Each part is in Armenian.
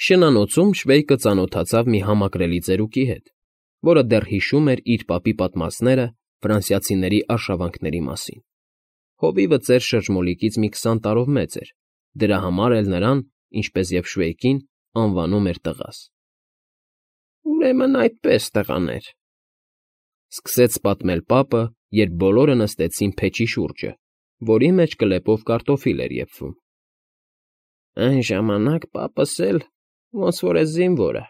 Շնանոցում Շվեյկը ծանոթացավ մի համակրելի ծերուկի հետ, որը դեռ հիշում էր իր պապի պատմածները ֆրանսիացիների արշավանքների մասին։ Հովիվը ծեր շրջմոլիկից մի 20 տարով մեծ էր, դրա համար էլ նրան, ինչպես և Շվեյկին, անվանում էր տղաս։ Ուրեմն այդպես, տղաներ, սկսեց պատմել պապը, երբ բոլորը նստեցին փեչի շուրջը, որի մեջ կլեպով կարտոֆիլ էր եփվում։ Այն ժամանակ պապս էլ, ոնց որ էս զինվորը,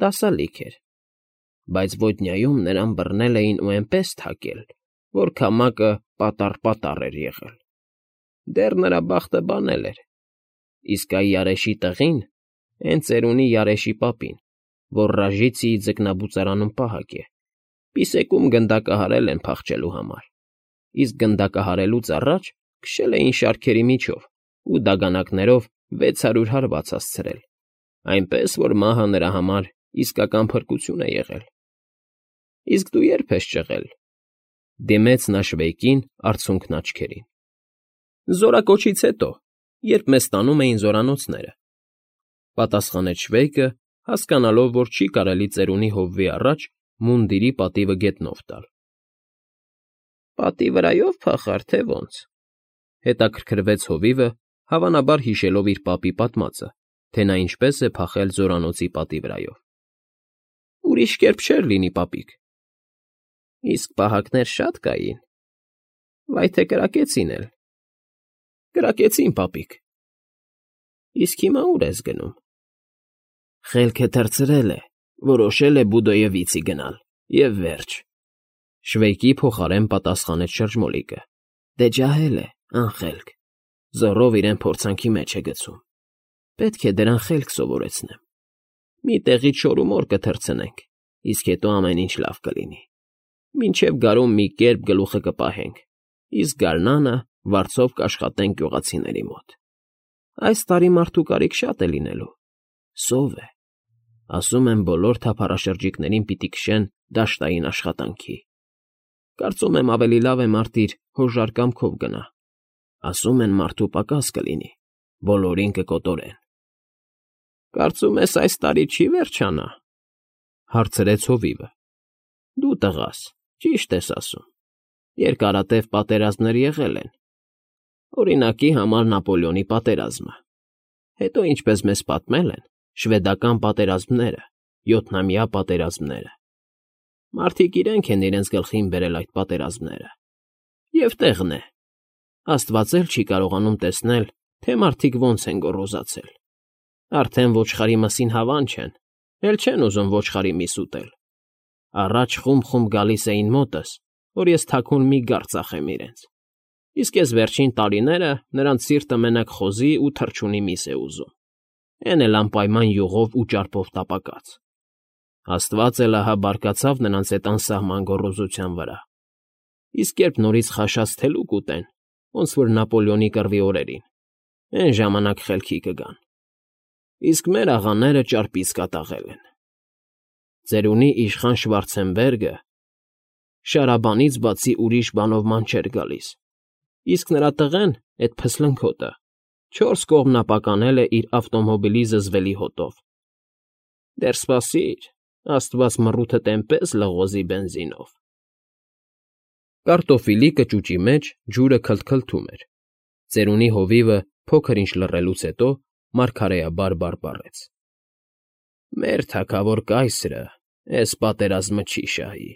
դասալիկ էր, բայց ոտնյայում նրան բռնել էին ու այնպես թակել, որ քամակը պատառ էր եղել։ Դեռ նրա բախտը բանել էր, իսկ այ Արեշի տղին, հենց ծերունի Արեշի պապին, որ Ռաժիցիի ձկնաբուծարանում պահակ է, պիսեկում գնդակահարել են փախչելու համար, իսկ գնդակահարելուց առաջ քշել էին շարքերի միջով ու դագանակներով 600 հարված հասցրել, այնպես որ մահը նրա համար իսկական փրկություն է եղել։ Իսկ դու ե՞րբ ես ճղել,֊ դիմեց նա Շվեյկին արցունքն աչքերին։ Զորակոչից հետո, երբ մեզ տանում էին զորանոցները,֊ պատասխանեց Շվեյկը, հասկանալով, որ չի կարելի ծերունի հովվի առաջ մունդիրի պատիվը գետնով տալ։ Պատի վրայո՞վ փախար, թե ոնց,֊ հետաքրքրվեց հովիվը, հավանաբար հիշելով իր պապի պատմածը, թե նա ինչպես է փախել զորանոցի պատի վրայով։ Ուրիշ կերպ չէր լինի, պապիկ։ Իսկ պահակներ շատ կային, վայ թե կրակեցին էլ։ Կրակեցին, պապիկ։ Իսկ հիմա ուր ես գնում։ Խելքը թռցրել է, որոշել է Բուդոյևիցի գնալ, և վերջ,֊ Շվեյկի փոխարեն պատասխանեց շրջմոլիկը։ Դե ջահել է, անխելք, զոռով իրեն փորձանքի մեջ է գցում։ Պետք է դրան խելք սովորեցնեմ։ Մի տեղից շորումոր կթռցնենք, իսկ հետո ամեն ինչ լավ կլինի։ Մինչև գարուն մի կերպ գլուխը կպահենք, իսկ գարնանը վարձով կաշխատենք գյուղացիների մոտ։ Այս տարի մարդու կարիք շատ է լինելու։ Սով է։ Ասում են բոլոր թափառաշրջիկներին պիտի քշեն դաշտային աշխատանքի։ Կարծում եմ ավելի լավ է մարդ իր հոժար կամքով գնա։ Ասում են մարդու պակաս կլինի, բոլորին կկոտորեն։ Կարծում ես այս տարի չի վերջանա,֊ հարցրեց հովիվը։ Դու տղաս, ճիշտ ես ասում, երկարատև պատերազմներ եղել են։ Օրինակի համար Նապոլեոնի պատերազմը, հետո ինչպես մեզ պատմել են, շվեդական պատերազմները, 7-ամյա պատերազմները։ Մարդիկ իրենք են իրենց գլխին բերել այդ պատերազմները։ Եվ տեղն է, Աստված էլ չի կարողանում տեսնել, թե մարդիկ ոնց են գոռոզացել։ Արդեն ոչխարի մսին հավան չեն, էլ չեն ուզում ոչխարի միս ուտել։ Առաջ խումբ գալիս էին մոտս, որ ես թաքուն մի գար ծախեմ իրենց։ Իսկ ես վերջին տարիները նրանց սիրտը մենակ խոզի ու թռչունի միս է ուզում։ Էն էլ անպայման յուղով ու ճարպով տապակած։ Աստված էլ ահա բարկացավ նրանց այդ անսահման գոռոզության վրա։ Իսկ երբ նորից խաշած թելուկ ուտեն, ոնց որ Նապոլեոնի կռվի օրերին, էն ժամանակ խելքի կգան։ Իսկ մեր աղաները ճարպից կատաղել են։ Ծերունի իշխան Շվարցենբերգը շարաբանից բացի ուրիշ բանով ման չէր գալիս, իսկ նրա տղեն, էդ փսլնքոտը, 4 կողմնապականել է իր ավտոմոբիլի զզվելի հոտով։ Դեռ սպասիր, Աստված մռութդ էնպես լղոզի բենզինով։ Կարտոֆիլի կճուճի մեջ ջուրը քլթքլթում էր։ Ծերունի հովիվը փոքր ինչ լռելուց հետո մարգարեաբար բարբառեց. Մեր թագավոր կայսրը էս պատերազմը չի շահի։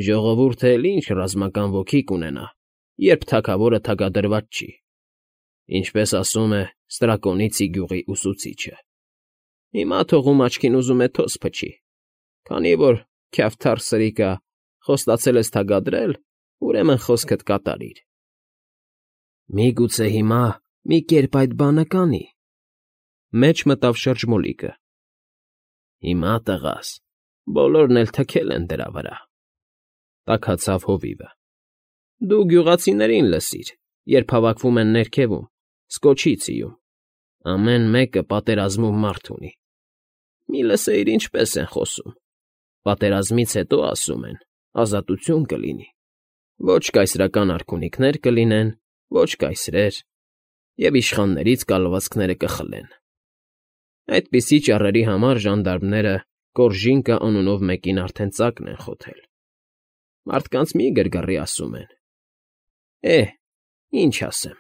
Ժողովուրդը էլ ինչ ռազմական ոգի կունենա, երբ թագավորը թագադրված չի, ինչպես ասում է Ստրակոնիցի գյուղի ուսուցիչը։ Հիմա թողում աչքին ուզում է թոս փչի, քանի որ քյավթար սրիկա խոստացել ես թագադրել, ուրեմն խոսքդ կատարիր։ Միգուցե հիմա մի կերպ այդ բանը կանի,֊ մեջ մտավ շրջմոլիկը։ Հիմա, տղաս, բոլորն էլ թքել են դրա վրա,֊ տաքացավ հովիվը։ Դու գյուղացիներին լսիր, երբ հավաքվում են ներքևում, Սկոչիցիում, ամեն մեկը պատերազմում մարդ ունի։ Մի լսեիր ինչպես են խոսում։ Պատերազմից հետո, ասում են, ազատություն կլինի։ Ոչ կայսրական արքունիքներ կլինեն, ոչ կայսրեր, և իշխաններից կալվածքները կխլեն։ Այդպիսի ճառերի համար ժանդարմները Կորժինկա անունով մեկին արդեն ծակն են խոթել։ Մարդկանց մի գրգռի, ասում են։ Ինչ ասեմ։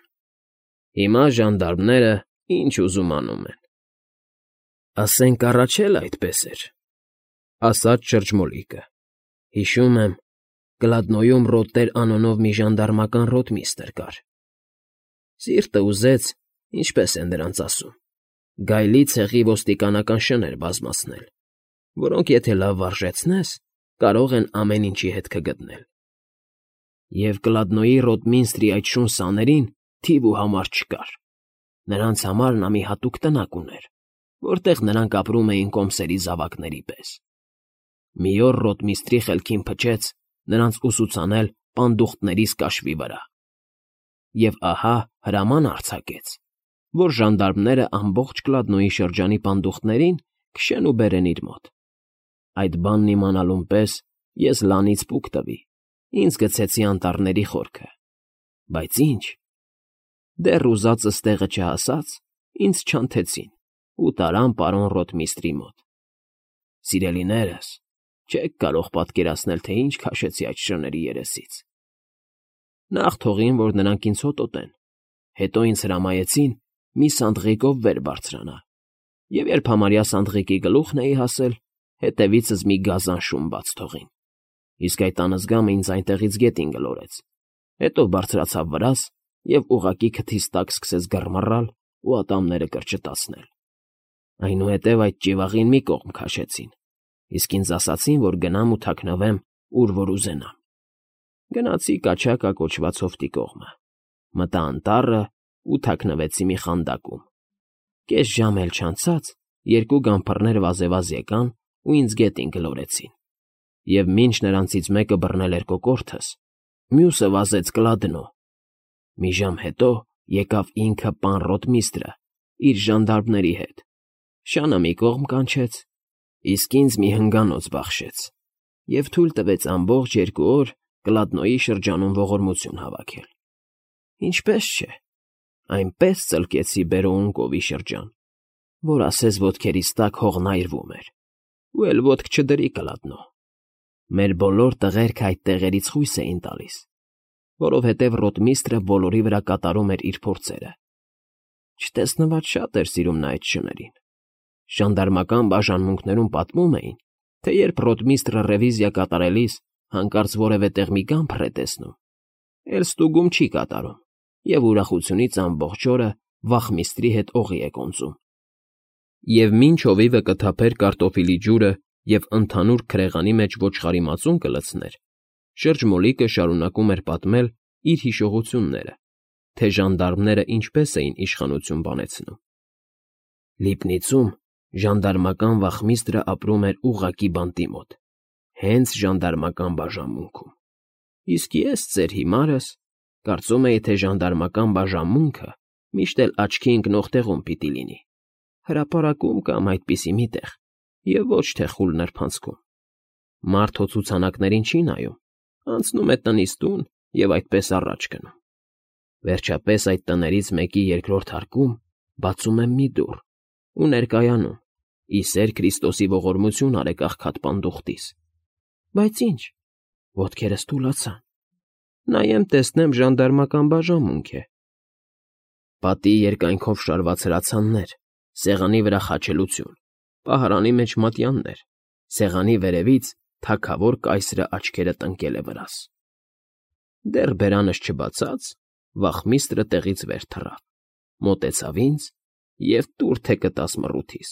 Հիմա ժանդարմները ինչ ուզում անում են։ Ասենք առաջ էլ այդպես էր, ասաց շրջմոլիկը։ Հիշում եմ, Կլադնոյում Ռոտտեր անունով մի ժանդարմական ռոտմիստրը կար։ Սիրտը ուզեց, ինչպես են նրանց ասում, գայլի ցեղի ոստիկանական շներ բազմացնել, որոնք եթե լավ վարժեցնես, կարող են ամեն ինչի հետ կգտնել։ Եվ Կլադնոյի Ռոտմինստրի այդ շուն սաներին թիվ ու համար չկար։ Նրանց համար նա մի հատուկ տնակ ուներ, որտեղ նրանք ապրում էին կոմսերի զավակների պես։ Մի օր Ռոտմիստրի խելքին փչեց նրանց ուսուցանել պանդուխտներիս կաշվի վրա։ Եվ ահա հրաման արձակեց, որ ժանդարմները ամբողջ Կլադնոյի շրջանի պանդուխտներին քշեն ու բերեն իր մոտ։ Այդ բանն իմանալուն պես ես լանից պուկ տվի, ինձ գցեցի անտառների խորքը։ Բայց ինչ, դեռ ուզածս տեղը չհասած, ինձ չանթեցին ու տարան պարոն Ռոտմիստրի մոտ։ Սիրելիներս, չեք կարող պատկերացնել, թե ինչ քաշեցի այդ շների երեսից։ Նախ թողին, որ նրանք ինձ հոտոտեն, հետո ինձ հրամայեցին մի սանդղիկով վեր բարձրանալ, և երբ համարյա սանդղիկի գլուխն էի հասել, հետևիցս մի գազան շուն բաց թողին, իսկ այդ անզգամը ինձ այնտեղից գետին գլորեց, հետո բարձրացավ վրաս և ուղղակի քթիս տակ սկսեց գռմռալ ու ատամները կրճտացնել։ Այնուհետև այդ ճիվաղին մի կողմ քաշեցին, իսկ ինձ ասացին, որ գնամ ու թաքնվեմ, ուր որ ուզենամ։ Գնացի Կաչակա կոչված հովտի կողմը, մտա անտառը ու թաքնվեցի մի խանդակում։ Կես ժամ էլ չանցած երկու գամփռներ վազեվազ եկան ու ինձ գետին գլորեցին, և մինչ նրանցից մեկը բռնել էր կոկորդս, մյուսը վազեց Կլադնո։ Մի ժամ հետո եկավ ինքը պան Ռոտմիստրը իր ժանդարմների հետ, շանը մի կողմ կանչեց, իսկ ինձ մի հնգանոց բախշեց և թույլ տվեց ամբողջ 2 օր Կլադնոյի շրջանում ողորմություն հավաքել։ Ինչպես չէ, այնպես ծլկեցի Բերոունկովի շրջան, որ ասես ոտքերիս տակ հողն այրվում էր, ու էլ ոտք չդրի Կլադնո։ Մեր բոլոր տղերքը այդ տեղերից խույս էին տալիս, որովհետև Ռոտմիստրը բոլորի վրա կատարում էր իր փորձերը։ Չտեսնված շատ էր սիրում նա այդ շներին։ Ժանդարմական բաժանմունքներում պատմում էին, թե երբ Ռոտմիստրը ռևիզիա կատարելիս հանկարծ որևէ տեղ մի գամփր է տեսնում, էլ ստուգում չի կատարում և ուրախությունից ամբողջ օրը վախմիստրի հետ օղի է կոնծում։ Եվ մինչ հովիվը կթափեր կարտոֆիլի ջուրը և ընդհանուր քրեղանի մեջ ոչխարի մածուն կլցներ, շրջմոլիկը շարունակում էր պատմել իր հիշողությունները, թե ժանդարմները ինչպես էին իշխանություն բանեցնում։ Լիբնիցում ժանդարմական վախմիստրը ապրում էր ուղղակի բանտի մոտ, հենց ժանդարմական բաժանմունքում։ Իսկ ես, ձեր հիմարս, կարծում էի, թե ժանդարմական բաժանմունքը միշտ էլ աչքի ընկնող տեղում պիտի լինի, հրապարակում կամ այդպիսի մի տեղ, և ոչ թե խուլ նրբանցքում։ Մարդ հո ցուցանակներին չի նայում, անցնում է տնից տուն և այդպես առաջ գնում։ Վերջապես այդ տներից մեկի երկրորդ հարկում բացում եմ մի դուռ ու ներկայանում, ի սեր Քրիստոսի ողորմություն արեք աղքատ պանդուխտիս։ Բայց ինչ, ոտքերս թուլացան, նայեմ տեսնեմ ժանդարմական բաժանմունք է։ Պատի երկայնքով շարված հրացաններ, սեղանի վրա խաչելություն, պահարանի մեջ մատյաններ, սեղանի վերևից թագավոր կայսրը աչքերը տնկել է վրաս։ Դեռ բերանս չբացած, վախմիստրը տեղից վեր թռավ, մոտեցավ ինձ և տուր թե կտաս մռութիս։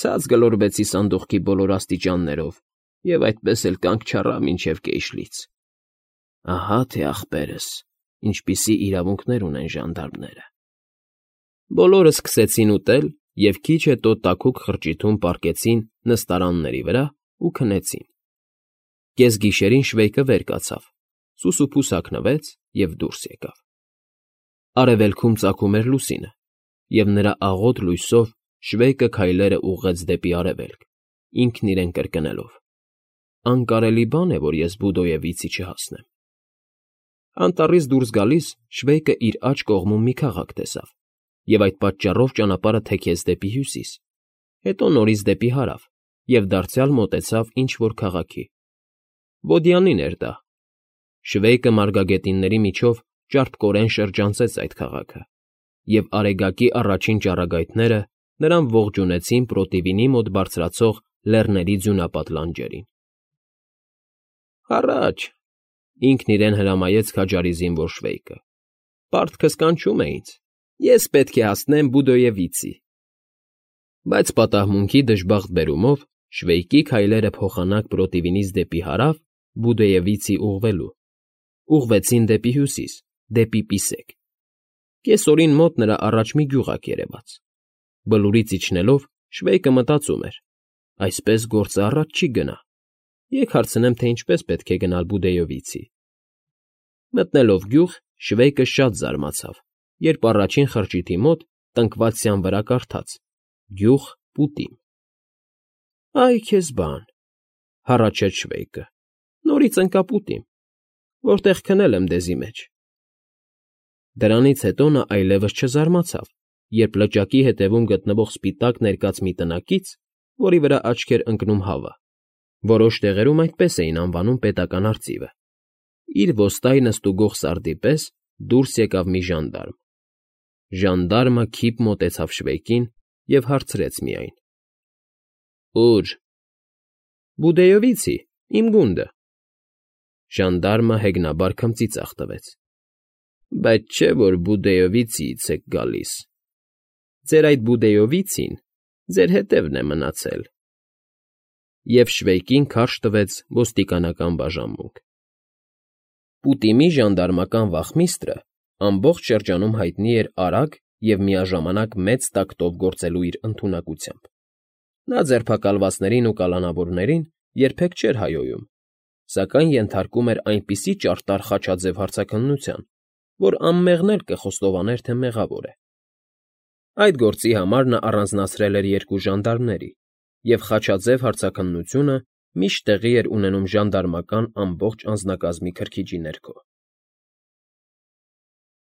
Ցած գլորվեցի սանդուղքի բոլոր աստիճաններով և այդպես էլ կանգ չառա մինչև կեշլից։ Ահա թե ախպերս, ինչպիսի իրավունքներ ունեն ժանդարմները։ Բոլորը սկսեցին ուտել և քիչ հետո տաքուկ խրճիթում պառկեցին նստարանների վրա ու քնեցին։ Կեսգիշերին Շվեյկը վեր կացավ, սուսուփուս հագնվեց և դուրս եկավ։ Արևելքում ծագում էր լուսինը, և նրա աղոտ լույսով Շվեյկը քայլերը ուղղեց դեպի արևելք, ինքն իրեն կրկնելով. «Անկարելի բան է, որ ես Բուդոևիցի չհասնեմ»։ Անտառից դուրս գալիս Շվեյկը իր աջ կողմում մի քաղաք տեսավ, և այդ պատճառով ճանապարհը թեքեց դեպի հյուսիս, հետո նորից դեպի հարավ և դարձյալ մոտեցավ ինչ֊որ քաղաքի։ Ոդյանին էր դա։ Շվեյկը մարգագետինների միջով ճարպկորեն շրջանցեց այդ քաղաքը, և Արեգակի առաջին ճառագայթները նրան ողջունեցին Պրոտիվինի մոտ բարձրացող լեռների ձյունապատ լանջերին։ Առաջ, ինքն իրեն հրամայեց քաջարի զինվոր Շվեյկը, պարտքս կանչում է ինձ, ես պետք է հասնեմ Բուդոևիցի։ Բայց պատահմունքի դժբախտ բերումով Շվեյկի քայլերը փոխանակ Պրոտիվինից դեպի հարավ Բուդոևիցի ուղղվեցին դեպի հյուսիս, դեպի Պիսեք։ Կեսօրին մոտ նրա առաջ մի գյուղակ երևաց։ Բլուրից իջնելով Շվեյկը մտածում էր. այսպես գործը առաջ չի գնա։ Եկ հարցնեմ, թե ինչպես պետք է գնալ Բուդեովիցի։ Մտնելով գյուղ, Շվեյկը շատ զարմացավ, երբ առաջին խրճիթի մոտ տնկված վրա կարդաց. «Գյուղ Պուտիմ»։ Այ քեզ բան, հառաչեց Շվեյկը, նորից ընկա Պուտիմ, որտեղ քնել եմ դեզի մեջ։ Դրանից հետո նա այլևս չզարմացավ, երբ լճակի հետևում գտնվող սպիտակ ներկած մի տնակից, որի վրա աչք էր ընկնում հավը, որոշ տեղերում այդպես էին անվանում պետական արծիվը, իր ոստայնը ստուգող սարդի պես դուրս եկավ մի ժանդարմ։ Ժանդարմը քիփ մոտեցավ Շվեյկին և հարցրեց միայն. «Ո՞ւր»։ «Բուդեովիցի, իմ գունդը»։ Ժանդարմը հեգնաբար քմծիծաղ տվեց։ «Բայց չէ՞ որ Բուդեովիցիից եք գալիս։ Ձեր այդ Բուդեովիցին ձեր հետևն է մնացել»։ Եվ Շվեյկին քարշ տվեց ոստիկանական բաժանմունք։ Պուտիմի ժանդարմական վախմիստրը ամբողջ շրջանում հայտնի էր արագ և միաժամանակ մեծ տակտով գործելու իր ընդունակությամբ։ Նա ձերբակալվածներին ու կալանավորներին երբեք չէր հայոյում, սակայն ենթարկում էր այնպիսի ճարտար խաչաձև հարցաքննության, որ անմեղն էլ կխոստովաներ, թե մեղավոր է։ Այդ գործի համար նա առանձնացրել էր 2 ժանդարմների, և խաչաձև հարցաքննությունը միշտ տեղի էր ունենում ժանդարմական ամբողջ անձնակազմի քրքիջի ներքո։